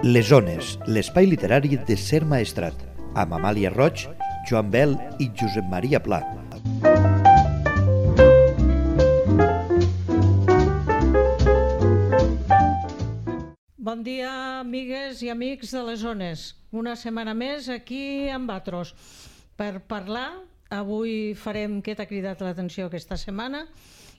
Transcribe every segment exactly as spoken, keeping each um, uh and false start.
Les Ones, l'espai literari de Ser Maestrat, amb Amàlia Roig, Joan Bel i Josep Maria Pla. Bon dia, amigues i amics de les Ones. Una setmana més aquí amb vosaltres per parlar. Avui farem què t'ha cridat l'atenció aquesta setmana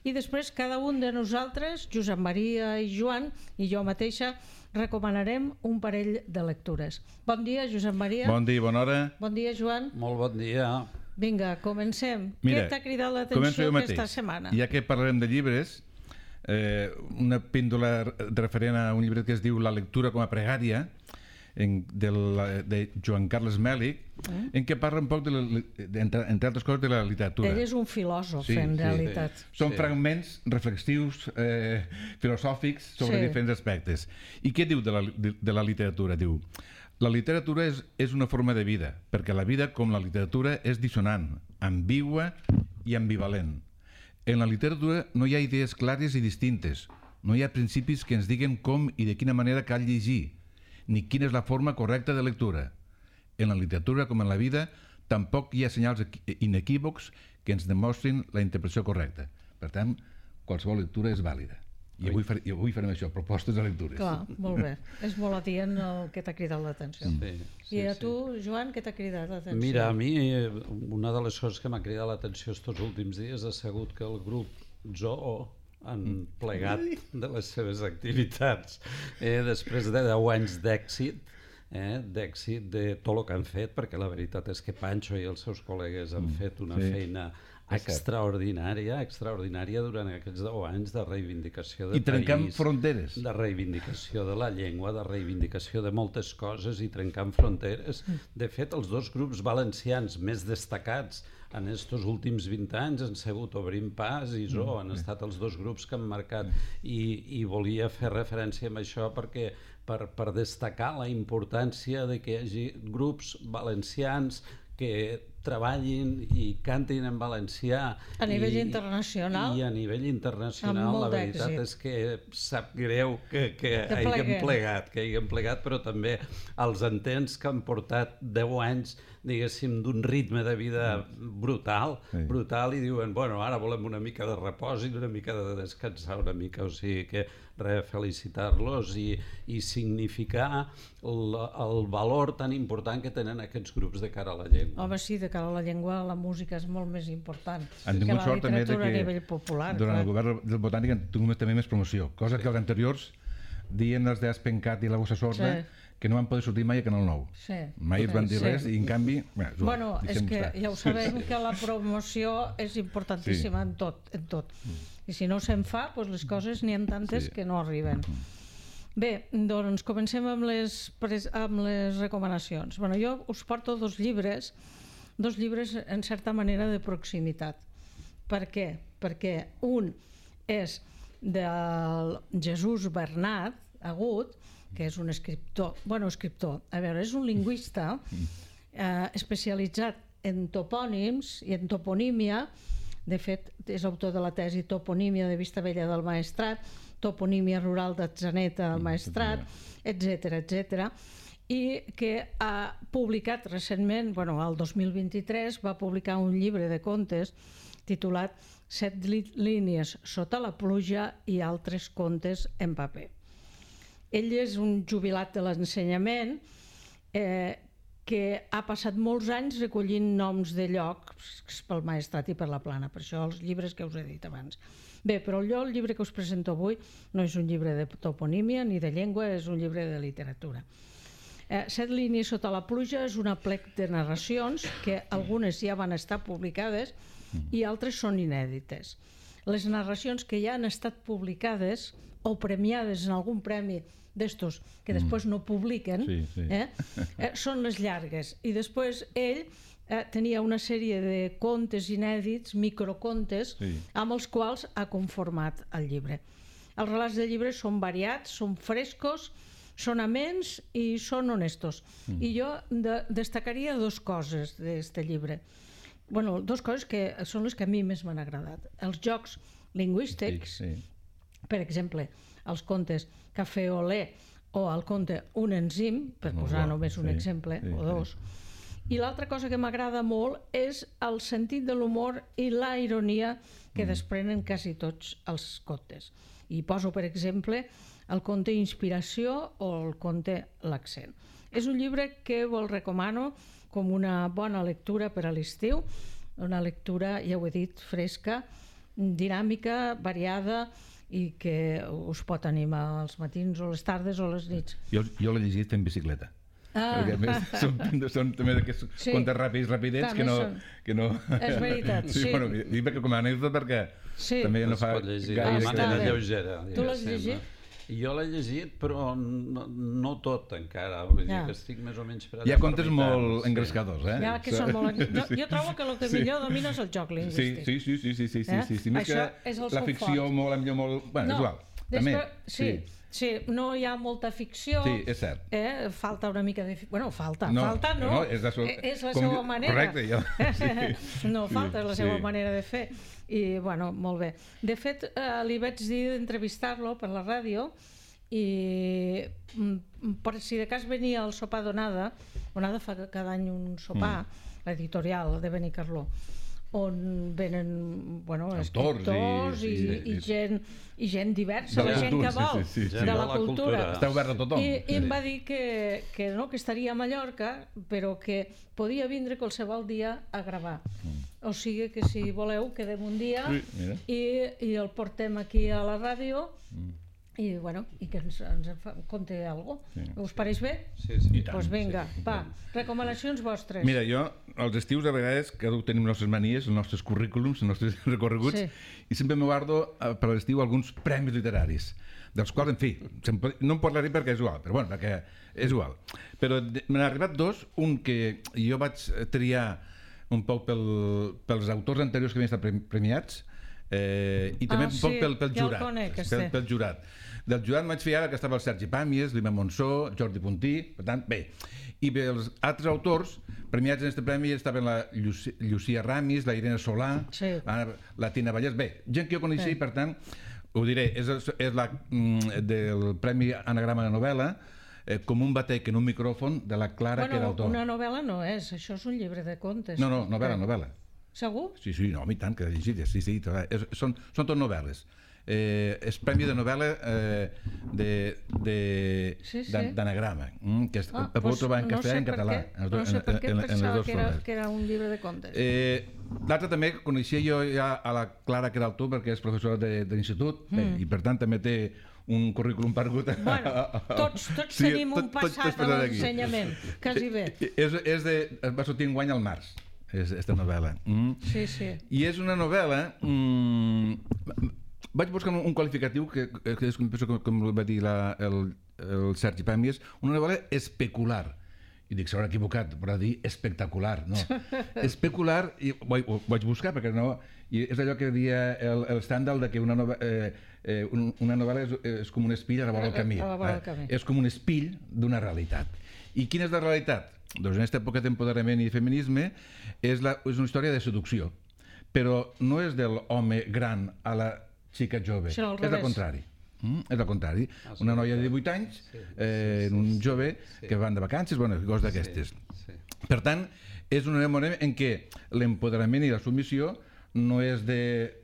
i després cada un de nosaltres, Josep Maria i Joan i jo mateixa, recomanarem un parell de lectures. Bon dia, Josep Maria. Bon dia, bona hora. Bon dia, Joan. Molt bon dia. Vinga, comencem. Mira, què t'ha cridat l'atenció aquesta setmana? Ja que parlarem de llibres, eh, una píndola referent a un llibre que es diu La lectura com a pregària, en, de, la, de Joan Carles Mèlich, mm. en què parla un poc, de la, de, entre, entre altres coses, de la literatura. Ell és un filòsof, sí, en sí, realitat. Sí. Són sí. fragments reflexius, eh, filosòfics, sobre sí. diferents aspectes. I què diu de la, de, de la literatura? Diu, la literatura és, és una forma de vida, perquè la vida, com la literatura, és dissonant, ambigua i ambivalent. En la literatura no hi ha idees clares i distintes, no hi ha principis que ens diguen com i de quina manera cal llegir, ni quina és la forma correcta de lectura. En la literatura, com en la vida, tampoc hi ha senyals inequívocs que ens demostrin la interpretació correcta. Per tant, qualsevol lectura és vàlida. I avui, far, i avui farem això, propostes de lectures. Clar, molt bé. És molt adient el que t'ha cridat l'atenció. Sí, sí, I a tu, sí. Joan, què t'ha cridat l'atenció? Mira, a mi una de les coses que m'ha cridat l'atenció estos últims dies ha sigut que el grup Zoo han plegat de les seves activitats eh, després de deu anys d'èxit, eh, d'èxit de tot el que han fet, perquè la veritat és que Pancho i els seus col·legues han fet una sí. feina extraordinària, extraordinària durant aquests deu anys de reivindicació de I trencant país, fronteres. De reivindicació de la llengua, de reivindicació de moltes coses i trencant fronteres. De fet, els dos grups valencians més destacats en estos últims vint anys han sigut Obrim Pas i Zoo, han estat els dos grups que han marcat i, i volia fer referència a això perquè per, per destacar la importància de que hi hagi grups valencians que treballin i cantin en valencià a nivell i, internacional i a nivell internacional la veritat èxit. És que sap greu que, que, que hagin plegat que hagin plegat, però també els entens que han portat deu anys diguéssim d'un ritme de vida brutal, sí. brutal i diuen, bueno, ara volem una mica de repòs i una mica de descansar una mica, o sigui que res, felicitar-los i, i significar el, el valor tan important que tenen aquests grups de cara a la llengua. Home, sí, de cara a la llengua la música és molt més important han que la sort també de literatura que a nivell popular. Durant clar. el govern del Botànic han tingut també més promoció, cosa que els anteriors dient els d'Aspencat i la Bossa Sorda sí. que no van poder sortir mai a Canal nou. Sí. Mai els van dir sí. res i en canvi... Bueno, Joan, bueno és que estar. Ja ho sabem que la promoció és importantíssima sí. en tot. En tot. Mm. I si no se'n fa, doncs les coses n'hi ha tantes sí. que no arriben. Mm. Bé, doncs comencem amb les, amb les recomanacions. Bueno, jo us porto dos llibres, dos llibres en certa manera de proximitat. Per què? Perquè un és del Jesús Bernat Agut, que és un escriptor, bueno, escriptor, a veure, és un lingüista eh, especialitzat en topònims i en toponímia. De fet, és autor de la tesi Toponímia de Vistabella del Maestrat, Toponímia rural d'Atzeneta del Maestrat, etcètera, etcètera, i que ha publicat recentment, bueno, el dos mil vint-i-tres, va publicar un llibre de contes titulat Set línies sota la pluja i altres contes en paper. Ell és un jubilat de l'ensenyament eh, que ha passat molts anys recollint noms de llocs pel Maestrat i per la Plana, per això els llibres que us he dit abans. Bé, però jo el llibre que us presento avui no és un llibre de toponímia ni de llengua, és un llibre de literatura. Eh, Set línies sota la pluja és una plec de narracions que algunes ja van estar publicades i altres són inèdites. Les narracions que ja han estat publicades o premiades en algun premi d'estos que després no publiquen, sí, sí. Eh, eh, són les llargues. I després ell eh, tenia una sèrie de contes inèdits, microcontes, sí. amb els quals ha conformat el llibre. Els relats del llibre són variats, són frescos, són amens i són honestos. Mm. I jo de, destacaria dos coses d'aquest llibre. Bueno, dues coses que són les que a mi més m'han agradat. Els jocs lingüístics, sí, sí. Per exemple, els contes Café Olé o al conte Un enzim, per posar només un exemple, o dos. I l'altra cosa que m'agrada molt és el sentit de l'humor i la ironia que desprenen quasi tots els contes. I poso, per exemple, el conte Inspiració o el conte L'accent. És un llibre que vos recomano com una bona lectura per a l'estiu, una lectura, ja ho he dit, fresca, dinàmica, variada i que us pot animar als matins o les tardes o les nits. Jo, jo l'he llegit fent bicicleta. Ah. Perquè a més són, són també d'aquests Sí. contes ràpids, rapidets, que També no, són. que no... És veritat, sí. Bueno, dic perquè com a anècdota perquè Sí. també no Es fa pot llegir de gaire... està manera bé. lleugera. Tu l'has diguéssim, llegit? no? Jo l'he llegit, però no, no tot encara. Vull dir Ja. que estic més o menys per allà. Hi ha per contes mitjans, molt sí. engrescadors, eh? Ja que són molt... Jo, jo trobo que el que Sí. millor domina és el joc Sí, lingüístic. sí, sí, sí, sí, sí, sí, Eh? sí, sí. Més Això que és el la seu ficció fort. molt, la millor molt... Bueno, és igual. També, després, sí, sí, no hi ha molta ficció. Sí, és cert. Eh? Falta una mica de... fi- Bueno, falta, No, falta no. no, és la so- Eh, és la com- seva manera. correcte, jo- sí. No falta, és la Sí. seva manera de fer. I, bueno, molt bé. De fet, eh, li vaig dir d'entrevistar-lo per la ràdio i mm, per si de cas venia al sopar d'Onada, Onada fa cada any un sopar, mm. l'editorial de Benicarló, on venen, bueno, Autors escriptors i, i- i, i- i, gent, i gent diversa, De la la gent cultura, que vol, sí, sí, sí, de sí. la, De la cultura. cultura. Està obert a tothom. I, i em Sí. va dir que, que, no, que estaria a Mallorca, però que podia vindre qualsevol dia a gravar. O sigui que si voleu quedem un dia Sí, mira. i, i el portem aquí a la ràdio i, bueno, i que ens, ens fa, conte alguna cosa. Sí. Us pareix bé? Sí, sí. I tant. Doncs pues vinga, sí, i va, tant. recomanacions vostres. Mira, jo, als estius, a vegades, cada un tenim les nostres manies, els nostres currículums, els nostres recorreguts, Sí. i sempre me guardo eh, per l'estiu alguns premis literaris, dels quals, en fi, sempre, no en parlaré perquè és igual, però bueno, perquè és igual. Però de- me n'han arribat dos, un que jo vaig triar un poc pel, pels autors anteriors que havien estat premi- premiats, eh, i també Ah, un poc sí, pel, pel ja el jurat. conec, pel, este. pel jurat. Del jurat vaig fer ara que estava el Sergi Pàmies, l'Ima Monsó, Jordi Puntí, per tant, bé. I bé, els altres autors premiats en aquest premi estaven la Llucia, Llucia Ramis, la Irene Solà, Sí. la, la Tina Vallès, bé, gent que jo coneixia Sí. i per tant, ho diré, és, és la mm, del Premi Anagrama de Novel·la, eh, com un batec en un micròfon de la Clara bueno, Queraltó. una novel·la no és, això és un llibre de contes. No, no, novel·la, novel·la. Segur? Sí, sí, no, i tant, que he llegit, sí, sí, tot, és, són, són tot novel·les. Eh, és premi de novel·la eh, de, de, Sí, sí. d'an- d'anagrama, mm, que es, Ah, el podeu doncs trobar en no castellà sé i en per català. què, en els no dos- sé per en- què en- en les pensava dues que era, formes. que era un llibre de contes. Eh, L'altre també coneixia jo ja a la Clara Queraltó perquè és professora de, de l'institut mm. i per tant també té un currículum perdut. Bueno, tots, tots sí, tenim un passat a l'ensenyament, quasi bé. És, és de, es va sortir enguany al març, és, esta novel·la. Mm. Sí, sí. I és una novel·la... Mm, vaig buscar un, un qualificatiu que, que és com, com, com va dir la, el, el Sergi Pàmies, una novel·la especular. I dic, s'haurà equivocat, però dir espectacular, no. Especular, i ho, ho vaig buscar perquè no... I és allò que dia el, el Stendhal de que una, nova, eh, eh, una novel·la és, és com un espill a la vora del camí. A la vora del camí. Eh? És com un espill d'una realitat. I quina és la realitat? Doncs en aquesta època d'empoderament i feminisme és, la, és una història de seducció, però no és de l'home gran a la xica jove, Sinó al és al revés. contrari. Mm? És al contrari. Una noia de divuit anys, eh, un jove que van de vacances, bueno, coses d'aquestes. Per tant, és un moment en què l'empoderament i la submissió no és de...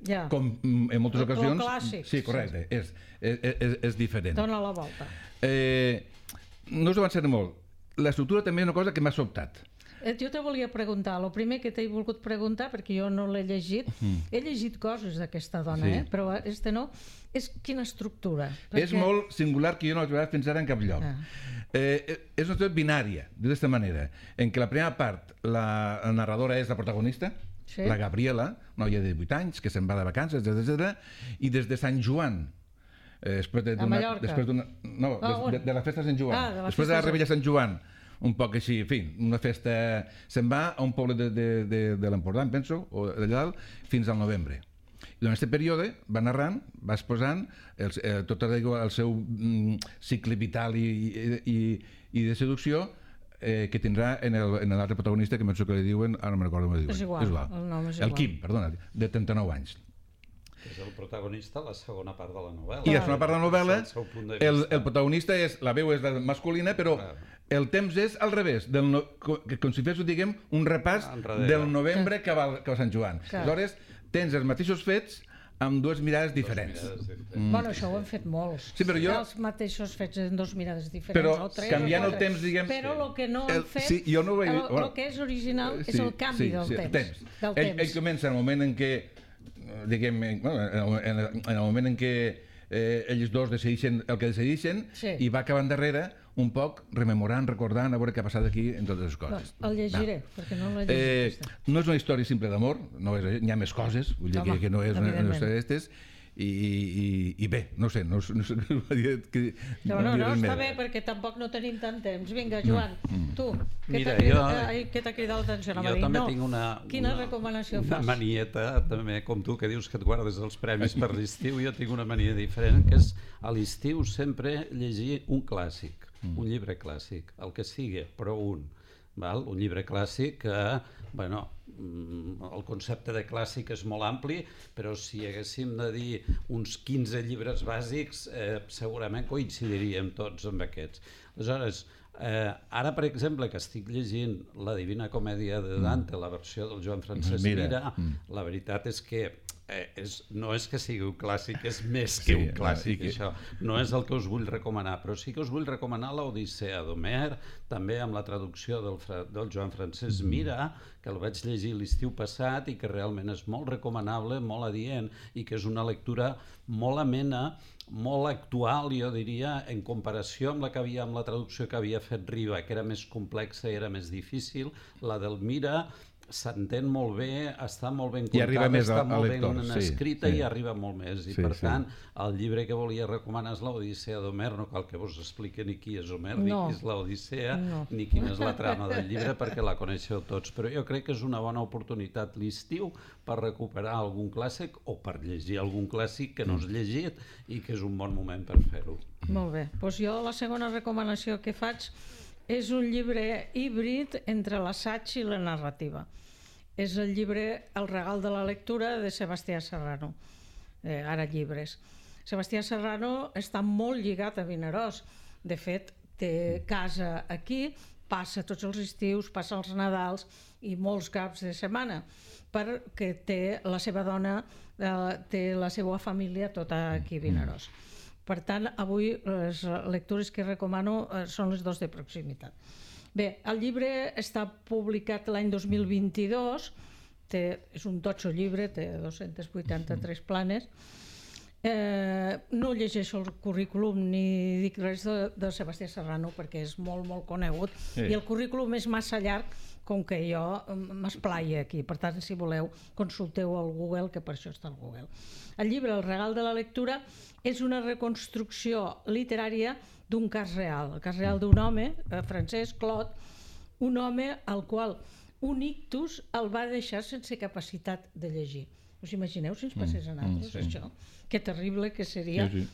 Ja. com en moltes Lo- lo ocasions... clàssic, Sí, correcte, és, és, és, és diferent. Dóna la volta. Eh, no us avançaré molt. L'estructura també és una cosa que m'ha sobtat. Eh, Jo te volia preguntar, el primer que t'he volgut preguntar, perquè jo no l'he llegit, he llegit coses d'aquesta dona, Sí. eh? Però este no, és quina estructura. És molt singular que jo no l'he trobat fins ara en cap lloc. Ah. Eh, és una història binària, d'aquesta manera, en què la primera part, la, la narradora és la protagonista, Sí. la Gabriela, noia de divuit anys, que se'n va de vacances, etcètera, i des de Sant Joan, eh, després de, A Mallorca? després d'una, no, Ah, des, de, de la festa de Sant Joan, Ah, de la després de festa la de- Rebella de Sant Joan, un poc així, en fi, una festa... Se'n va a un poble de, de, de, de l'Empordà, em penso, o d'allà dalt, fins al novembre. I durant aquest període va narrant, va exposant el, eh, tot el seu mm, cicle vital i, i, i, i de seducció eh, que tindrà en el- en l'altre protagonista, que penso que li diuen, ara no me'n recordo com li diuen. És igual, el nom és El igual. Quim, perdona, de trenta-nou anys. Que és el protagonista a la segona part de la novel·la. I a la segona part de la novel·la, el, seu punt de el, vista. el protagonista és, la veu és la masculina, però Clar. el temps és al revés, del no, que, com si fes, diguem, un repàs Enrere. del novembre que va, que va Sant Joan. Clar. Aleshores, tens els mateixos fets amb dues mirades diferents. Mirades diferents. Mm. Bueno, això ho hem fet molts. Sí, però jo- Els mateixos fets en dos mirades diferents. Però o tres, canviant o el quatre. temps, diguem... Però el que no el- hem fet, sí, jo no ho he- el, bueno, el que és original és Sí, el canvi sí, del sí, temps. el temps. Del Ell, temps. ell comença en el moment en què, diguem, en, bueno, en, el, en el moment en què eh, ells dos decideixen el que decideixen Sí. i va acabant darrere un poc rememorant, recordant, a veure què ha passat aquí en totes les coses. Bueno, el llegiré, Va. perquè no l'he Eh, llegit. aquesta. no és una història simple d'amor, no és, n'hi ha més coses, vull dir Home, que, que no és una, una evidentment. història d'estes, i, i, i bé, no sé, no, no sé que, No, no, no, res està més. bé, perquè tampoc no tenim tant temps. Vinga, Joan, tu, què Mira, t'ha cridat, jo- ai, què t'ha cridat l'atenció? Jo Anava a dir, també no. tinc una, Quina una, recomanació una fas? manieta, també, com tu, que dius que et guardes els premis per l'estiu, jo tinc una mania diferent, que és a l'estiu sempre llegir un clàssic, mm. un llibre clàssic, el que sigui, però un. Val? Un llibre clàssic que, bueno, el concepte de clàssic és molt ampli, però si haguéssim de dir uns quinze llibres bàsics, eh, segurament coincidiríem tots amb aquests. Aleshores, eh, ara, per exemple, que estic llegint La Divina Comèdia de Dante, la versió del Joan Francesc Mira. Mira, la veritat és que eh, és, no és que sigui un clàssic, és més que Sí, un clàssic, i que- això. No és el que us vull recomanar, però sí que us vull recomanar l'Odissea d'Homer, també amb la traducció del, Fra- del Joan Francesc Mira, que el vaig llegir l'estiu passat i que realment és molt recomanable, molt adient, i que és una lectura molt amena, molt actual, jo diria, en comparació amb la que havia, amb la traducció que havia fet Riba, que era més complexa i era més difícil. La del Mira s'entén molt bé, està molt ben I arriba contada, més està al- al molt lector, ben sí, escrita sí. i arriba molt més. I Sí, per sí. tant, el llibre que volia recomanar és l'Odissea d'Homer, no cal que vos expliqui ni qui és Homer, ni No. qui és l'Odissea, No. ni quina és la trama del llibre, perquè la coneixeu tots. Però jo crec que és una bona oportunitat l'estiu per recuperar algun clàssic o per llegir algun clàssic que no has llegit i que és un bon moment per fer-ho. Molt bé. Doncs jo la segona recomanació que faig és un llibre híbrid entre l'assaig i la narrativa. És el llibre El regal de la lectura de Sebastià Serrano, eh, ara llibres. Sebastià Serrano està molt lligat a Vinaròs. De fet, té casa aquí, passa tots els estius, passa els Nadals i molts caps de setmana, perquè té la seva dona, eh, té la seva família tota aquí a Vinaròs. Per tant, avui les lectures que recomano eh, són les dos de proximitat. Bé, el llibre està publicat l'any dos mil vint-i-dos, té, és un totxo llibre, té dos-centes vuitanta-tres planes. Eh, no llegeixo el currículum ni dic res de, de Sebastià Serrano perquè és molt, molt conegut, Sí. i el currículum és massa llarg com que jo m'esplaia aquí. Per tant, si voleu, consulteu al Google, que per això està al Google. El llibre El regal de la lectura és una reconstrucció literària d'un cas real, el cas real d'un home, eh, Francesc Clot, un home al qual un ictus el va deixar sense capacitat de llegir. Us imagineu si ens passés a nosaltres, Mm, sí. això? Que terrible que seria. Sí,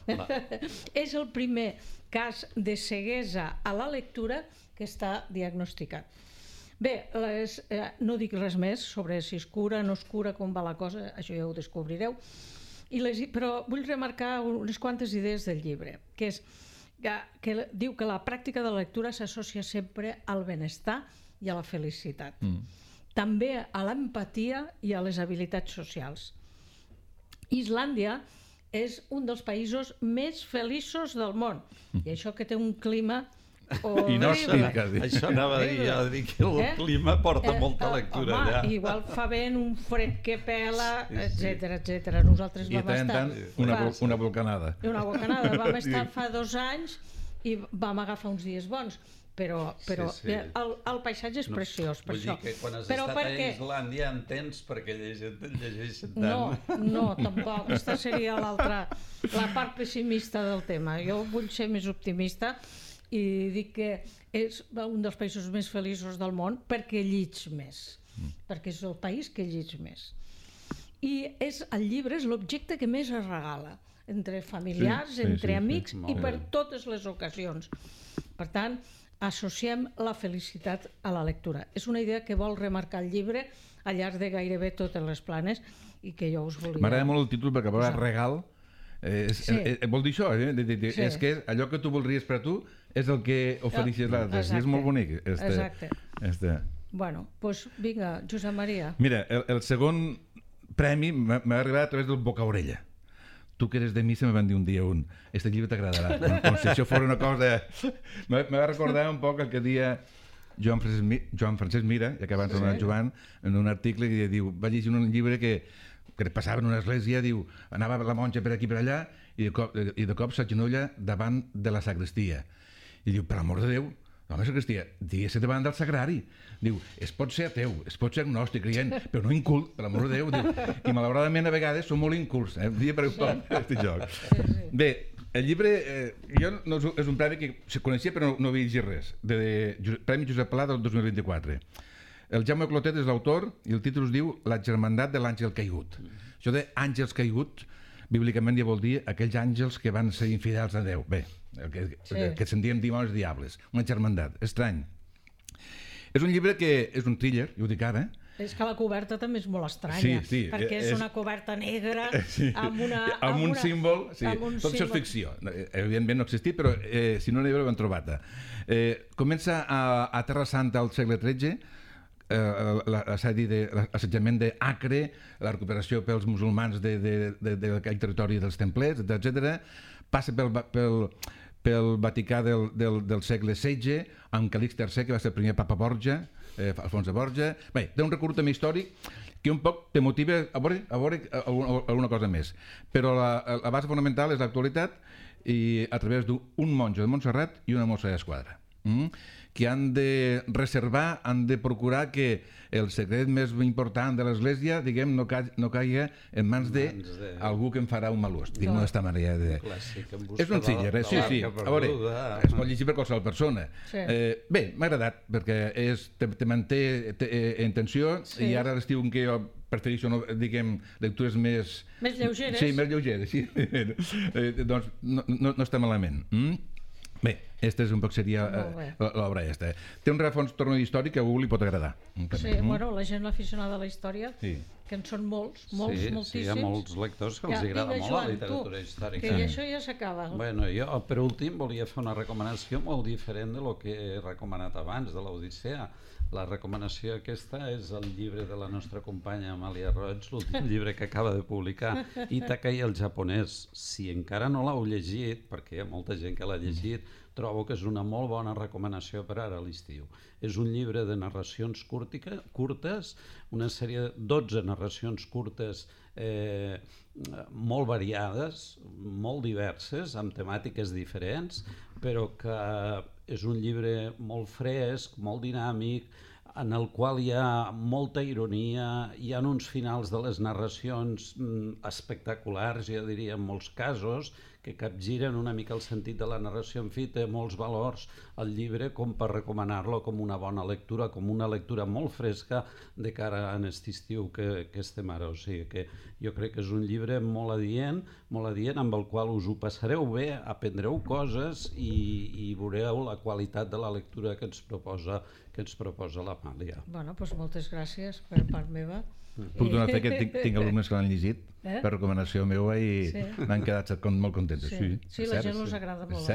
És el primer cas de ceguesa a la lectura que està diagnosticat. Bé, les, eh, no dic res més sobre si es cura, no es cura, com va la cosa, això ja ho descobrireu, I les, però vull remarcar unes quantes idees del llibre, que és que, que diu que la pràctica de la lectura s'associa sempre al benestar i a la felicitat. Mm. També a l'empatia i a les habilitats socials. Islàndia és un dels països més feliços del món, i això que té un clima horrible. Inhòspit, Això anava a dir, a dir que el Eh? clima porta Eh, molta eh, lectura home, allà. igual fa vent, un fred que pela, Sí, sí. etcètera, etcètera. Nosaltres I de vam tant en estar... tant una, fa- vol- una volcanada. una bocanada. Vam estar fa dos anys i vam agafar uns dies bons, però, però Sí, sí. El, el paisatge és preciós, per Vull això. dir que quan has però estat perquè... a Islàndia entens perquè llegeixen, llegeixen No, tant. no, tampoc. Aquesta seria l'altra, la part pessimista del tema. Jo vull ser més optimista i dic que és un dels països més feliços del món perquè llits més, mm. perquè és el país que llits més. I és, el llibre és l'objecte que més es regala, entre familiars, Sí, sí, entre sí, sí. amics Molt i bé. per totes les ocasions. Per tant, associem la felicitat a la lectura. És una idea que vol remarcar el llibre al llarg de gairebé totes les planes i que jo us volia... M'agrada molt el títol perquè a vegades regal eh, és, sí. eh, vol dir això, eh? de, de, de, sí. és que allò que tu voldries per a tu és el que ofereixes l'altre, i és molt bonic. Este, Exacte. Este. Bueno, doncs vinga, Josep Maria. Mira, el, el segon premi m'ha arribat a través del boca-orella. Tu que eres de missa me van dir un dia un, este llibre t'agradarà, com, com si això fos una cosa... Me va recordar un poc el que dia Joan Francesc, Joan Francesc Mira, ja que abans sí. el Joan, en un article que diu, va llegir un llibre que, que passava en una església, diu, anava la monja per aquí per allà i de cop, i de cop s'agenolla davant de la sagrestia. I diu, per l'amor de Déu, home, sagrestia, digues-se davant del sagrari. Diu, es pot ser ateu, es pot ser agnòstic, creient, però no incult, per l'amor de Déu. Diu, i malauradament a vegades són molt incults, eh? Dia per un cop, aquest joc. Sí, sí. Bé, el llibre, eh, jo no, és un premi que se coneixia però no, no havia llegit res, de, de Premi Josep Pla del dos mil vint-i-quatre. El Jaume Clotet és l'autor i el títol es diu La germandat de l'àngel caigut. Això d'àngels caiguts, bíblicament ja vol dir aquells àngels que van ser infidels a Déu. Bé, el que, sí. el que se'n diuen dimonis diables, una germandat, estrany. És un llibre que és un thriller, jo ho dic ara. És que la coberta també és molt estranya, sí, sí, perquè és, és una coberta negra sí, amb, una, amb, amb un una, símbol. Sí. Amb un Tot símbol. això és ficció. Evidentment no ha existit, però eh, si no n'hi ho hem trobat. Eh, comença a, a Terra Santa al segle tretze, eh, l'assetjament d'Acre, la recuperació pels musulmans d'aquell territori dels templers, etcètera. Passa pel... pel pel Vaticà del, del, del segle setze, amb Calix tercer, que va ser el primer papa Borja, eh, Alfons de Borja. Bé, té un recorregut també històric que un poc te motiva a veure, a veure alguna, alguna cosa més. Però la, la base fonamental és l'actualitat i a través d'un monjo de Montserrat i una mossa d'esquadra. Mm? Que han de reservar, han de procurar que el secret més important de l'Església, diguem, no, ca no caigui en mans d'algú que en farà un mal ús. Diguem-ho d'esta manera. De... És un thriller, eh? Sí, sí. A veure, es pot llegir per qualsevol persona. Sí. Eh, bé, m'ha agradat, perquè és, te, te manté te, eh, en tensió, sí. I ara l'estiu en què jo prefereixo, no, diguem, lectures més... Més lleugeres. Sí, més lleugeres, sí. eh, doncs no, no, no està malament. Mm? Bé, aquesta és un poc seria l'obra aquesta. Té un rerefons torno històric que a algú li pot agradar. Sí, bueno, la gent aficionada a la història, sí. Que en són molts, molts, sí, moltíssims. Sí, hi ha molts lectors que els ja, agrada molt Joan, la literatura tu, històrica. Que això ja s'acaba. Bueno, jo per últim volia fer una recomanació molt diferent de lo que he recomanat abans, de l'Odissea. La recomanació aquesta és el llibre de la nostra companya Amàlia Roig, l'últim llibre que acaba de publicar, Ítaca i el japonès. Si encara no l'heu llegit, perquè hi ha molta gent que l'ha llegit, trobo que és una molt bona recomanació per ara a l'estiu. És un llibre de narracions curtica, curtes, una sèrie de dotze narracions curtes eh, molt variades, molt diverses, amb temàtiques diferents, però que és un llibre molt fresc, molt dinàmic, en el qual hi ha molta ironia, hi ha uns finals de les narracions espectaculars, jo diria en molts casos, que capgiren una mica el sentit de la narració. En fi, té molts valors el llibre com per recomanar-lo com una bona lectura, com una lectura molt fresca de cara a aquest estiu que, que estem ara. O sigui que jo crec que és un llibre molt adient, molt adient, amb el qual us ho passareu bé, aprendreu coses i, i veureu la qualitat de la lectura que ens proposa, que ens proposa l'Amàlia. Bueno, doncs moltes gràcies per part meva. Puc donar fe que tinc, tinc alumnes que l'han llegit eh? Per recomanació meva i sí. N'han quedat molt contents. Sí, sí, sí la gent els agrada molt.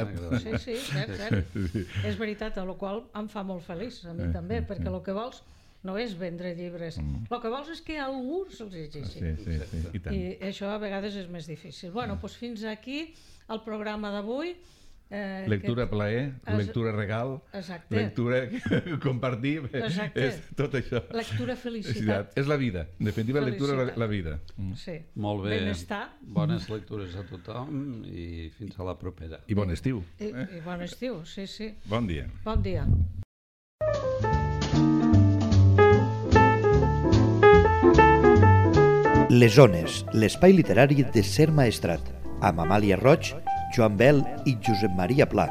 Sí, sí, cert, cert. Sí. És veritat, el qual em fa molt feliç, a mi eh, també, eh, perquè el que vols no és vendre llibres, mm. el que vols és que algú se'ls llegeixi. Sí, sí, sí, i tant. I això a vegades és més difícil. Bueno, doncs fins aquí el programa d'avui. Eh, lectura que... plaer, es... lectura regal, exacte. Lectura compartir, exacte. És tot això. Lectura felicitat. És la vida, en definitiva lectura la, la vida. Mm. Sí. Molt bé, benestar. Bones lectures a tothom i fins a la propera. I bon estiu. I, eh? i bon estiu, sí, sí. Bon dia. Bon dia. Les Ones, l'espai literari de Ser Maestrat, amb Amàlia Roig, Joan Bel i Josep Maria Pla.